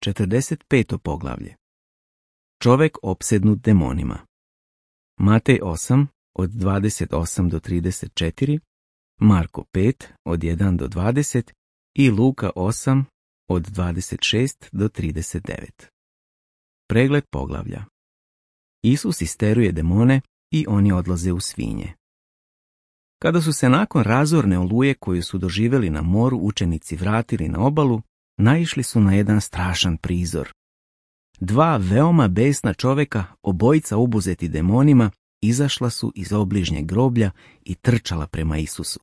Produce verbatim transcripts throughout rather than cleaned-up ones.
četrdeset peto poglavlje. Čovjek opsednut demonima. Matej osam, od dvadeset osam do trideset četiri, Marko pet, od jedan do dvadeset i Luka osam, od dvadeset šest do trideset devet. Pregled poglavlja. Isus isteruje demone i oni odlaze u svinje. Kada su se nakon razorne oluje koju su doživjeli na moru učenici vratili na obalu, naišli su na jedan strašan prizor. Dva veoma besna čovjeka, obojica obuzeti demonima, izašla su iz obližnjeg groblja i trčala prema Isusu.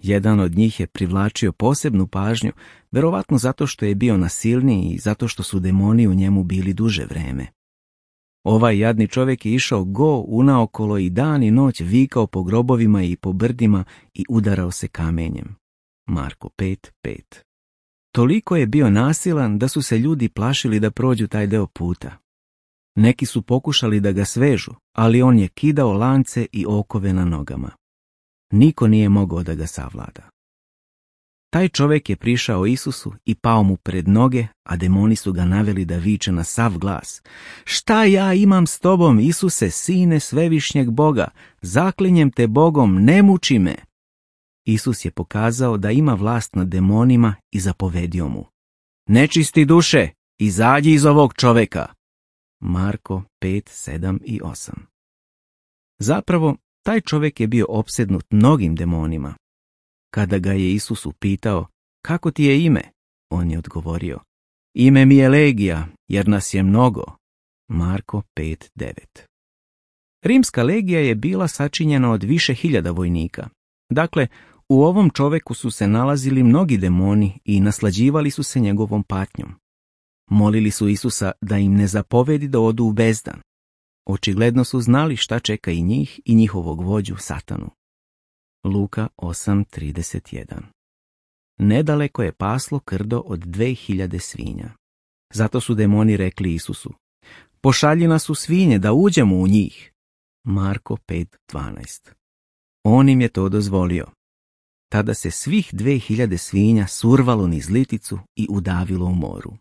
Jedan od njih je privlačio posebnu pažnju, verovatno zato što je bio nasilniji i zato što su demoni u njemu bili duže vreme. Ovaj jadni čovjek je išao go unaokolo i dan i noć vikao po grobovima i po brdima i udarao se kamenjem. Marko pet pet. Toliko je bio nasilan da su se ljudi plašili da prođu taj deo puta. Neki su pokušali da ga svežu, ali on je kidao lance i okove na nogama. Niko nije mogao da ga savlada. Taj čovjek je prišao Isusu i pao mu pred noge, a demoni su ga naveli da viče na sav glas. Šta ja imam s tobom, Isuse, sine svevišnjeg Boga? Zaklinjem te Bogom, ne muči me. Isus je pokazao da ima vlast nad demonima i zapovedio mu. Nečisti duše, izađi iz ovog čovjeka. Marko pet sedam i osam. Zapravo, taj čovjek je bio opsednut mnogim demonima. Kada ga je Isus upitao, kako ti je ime? On je odgovorio, ime mi je Legija, jer nas je mnogo. Marko pet devet. Rimska legija je bila sačinjena od više hiljada vojnika. Dakle, u ovom čovjeku su se nalazili mnogi demoni i naslađivali su se njegovom patnjom. Molili su Isusa da im ne zapovedi da odu u bezdan. Očigledno su znali šta čeka i njih i njihovog vođu Satanu. Luka osam trideset jedan. Nedaleko je paslo krdo od dve hiljade svinja. Zato su demoni rekli Isusu, pošalji nas u svinje da uđemo u njih. Marko pet dvanaest. On im je to dozvolio. Tada se svih dve hiljade svinja survalo niz liticu i udavilo u moru.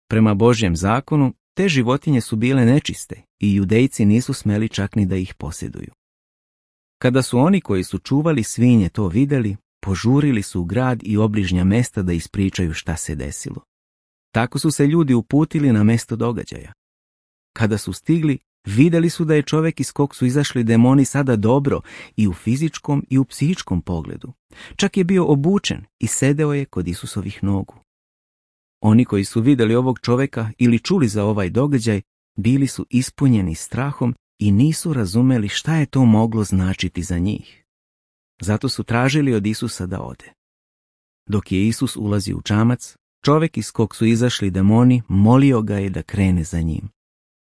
Prema Božjem zakonu, te životinje su bile nečiste i judejci nisu smeli čak ni da ih posjeduju. Kada su oni koji su čuvali svinje to vidjeli, požurili su u grad i obližnja mesta da ispričaju šta se desilo. Tako su se ljudi uputili na mesto događaja. Kada su stigli, vidjeli su da je čovjek iz kog su izašli demoni sada dobro i u fizičkom i u psihičkom pogledu. Čak je bio obučen i sedeo je kod Isusovih nogu. Oni koji su vidjeli ovog čovjeka ili čuli za ovaj događaj, bili su ispunjeni strahom i nisu razumeli šta je to moglo značiti za njih. Zato su tražili od Isusa da ode. Dok je Isus ulazi u čamac, čovjek iz kog su izašli demoni molio ga je da krene za njim.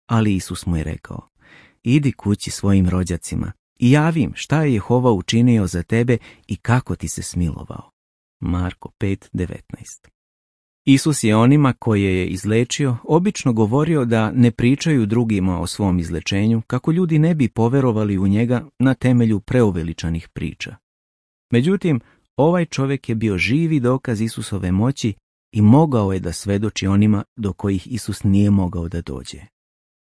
Ali Isus mu je rekao, idi kući svojim rođacima i javi im šta je Jehova učinio za tebe i kako ti se smilovao. Marko pet devetnaest. Isus je onima koje je izlečio obično govorio da ne pričaju drugima o svom izlečenju kako ljudi ne bi poverovali u njega na temelju preuveličanih priča. Međutim, ovaj čovjek je bio živi dokaz Isusove moći i mogao je da svedoči onima do kojih Isus nije mogao da dođe.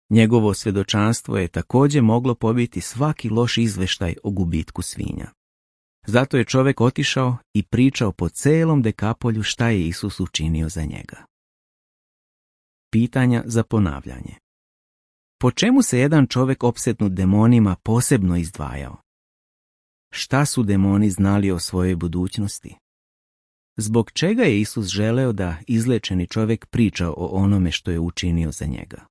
Njegovo svjedočanstvo je također moglo pobiti svaki loš izveštaj o gubitku svinja. Zato je čovjek otišao i pričao po celom Dekapolju šta je Isus učinio za njega. Pitanja za ponavljanje. Po čemu se jedan čovjek opsednut demonima posebno izdvajao? Šta su demoni znali o svojoj budućnosti? Zbog čega je Isus želeo da izlečeni čovjek priča o onome što je učinio za njega?